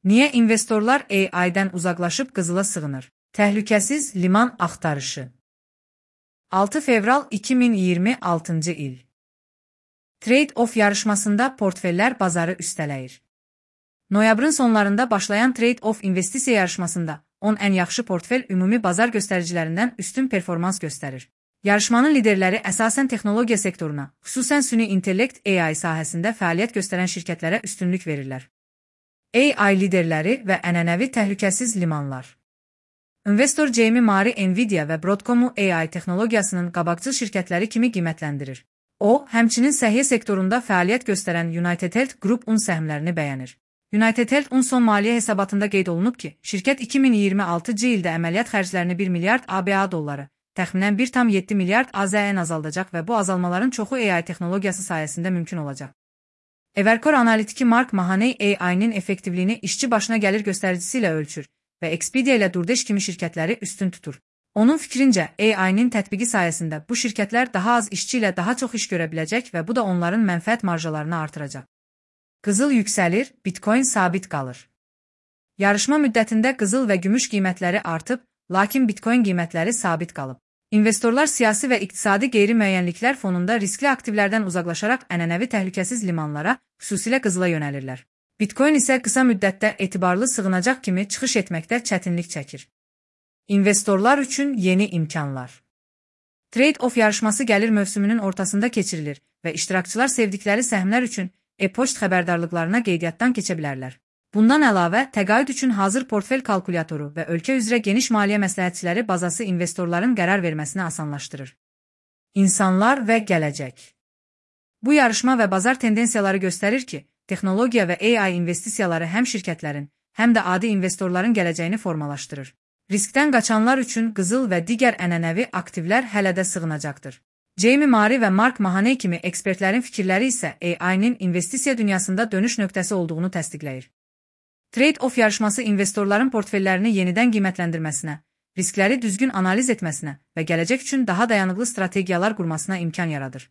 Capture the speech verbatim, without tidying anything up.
Niyə investorlar A I-dən uzaqlaşıb qızıla sığınır? Təhlükəsiz liman axtarışı. altı fevral iki min iyirmi altıncı il. Trade-off yarışmasında portfellər bazarı üstələyir. Noyabrın sonlarında başlayan Trade-off investisiya yarışmasında on ən yaxşı portfel ümumi bazar göstəricilərindən üstün performans göstərir. Yarışmanın liderləri əsasən texnologiya sektoruna, xüsusən süni intellekt A I sahəsində fəaliyyət göstərən şirkətlərə üstünlük verirlər. A I liderləri və ənənəvi təhlükəsiz limanlar. İnvestor Jamie Mari Nvidia və Broadcomu A I texnologiyasının qabaqcıl şirkətləri kimi qiymətləndirir. O, həmçinin səhiyyə sektorunda fəaliyyət göstərən United Health Group un səhmlərini bəyənir. United Health un son maliyyə hesabatında qeyd olunub ki, şirkət iki min iyirmi altıncı ildə əməliyyat xərclərini bir milyard ABA dolları, təxminən bir tam yeddi milyard A Z N azaldacaq və bu azalmaların çoxu A I texnologiyası sayəsində mümkün olacaq. Evercore analitiki Mark Mahaney A I-nin effektivliyini işçi başına gəlir göstəricisi ilə ölçür və Expedia ilə DoorDash kimi şirkətləri üstün tutur. Onun fikrincə, A I-nin tətbiqi sayəsində bu şirkətlər daha az işçi ilə daha çox iş görə biləcək və bu da onların mənfəət marjalarını artıracaq. Qızıl yüksəlir, Bitcoin sabit qalır. Yarışma müddətində qızıl və gümüş qiymətləri artıb, lakin Bitcoin qiymətləri sabit qalıb. İnvestorlar siyasi və iqtisadi qeyri-müəyyənliklər fonunda riskli aktivlərdən uzaqlaşaraq ənənəvi təhlükəsiz limanlara, xüsusilə qızıla yönəlirlər. Bitcoin isə qısa müddətdə etibarlı sığınacaq kimi çıxış etməkdə çətinlik çəkir. İnvestorlar üçün yeni imkanlar. Trade-off yarışması gəlir mövsümünün ortasında keçirilir və iştirakçılar sevdikləri səhmlər üçün e-poçt xəbərdarlıqlarına qeydiyyatdan keçə bilərlər. Bundan əlavə, təqaüd üçün hazır portfel kalkulyatoru və ölkə üzrə geniş maliyyə məsləhətçiləri bazası investorların qərar verməsini asanlaşdırır. İnsanlar və gələcək. Bu yarışma və bazar tendensiyaları göstərir ki, texnologiya və A I investisiyaları həm şirkətlərin, həm də adi investorların gələcəyini formalaşdırır. Riskdən qaçanlar üçün qızıl və digər ənənəvi aktivlər hələ də sığınacaqdır. Jamie Mari və Mark Mahaney kimi ekspertlərin fikirləri isə A I-nin investisiya dünyasında dönüş nöqtəsi olduğunu təsdiqləyir. Trade-off yarışması investorların portfellərini yenidən qiymətləndirməsinə, riskləri düzgün analiz etməsinə və gələcək üçün daha dayanıqlı strategiyalar qurmasına imkan yaradır.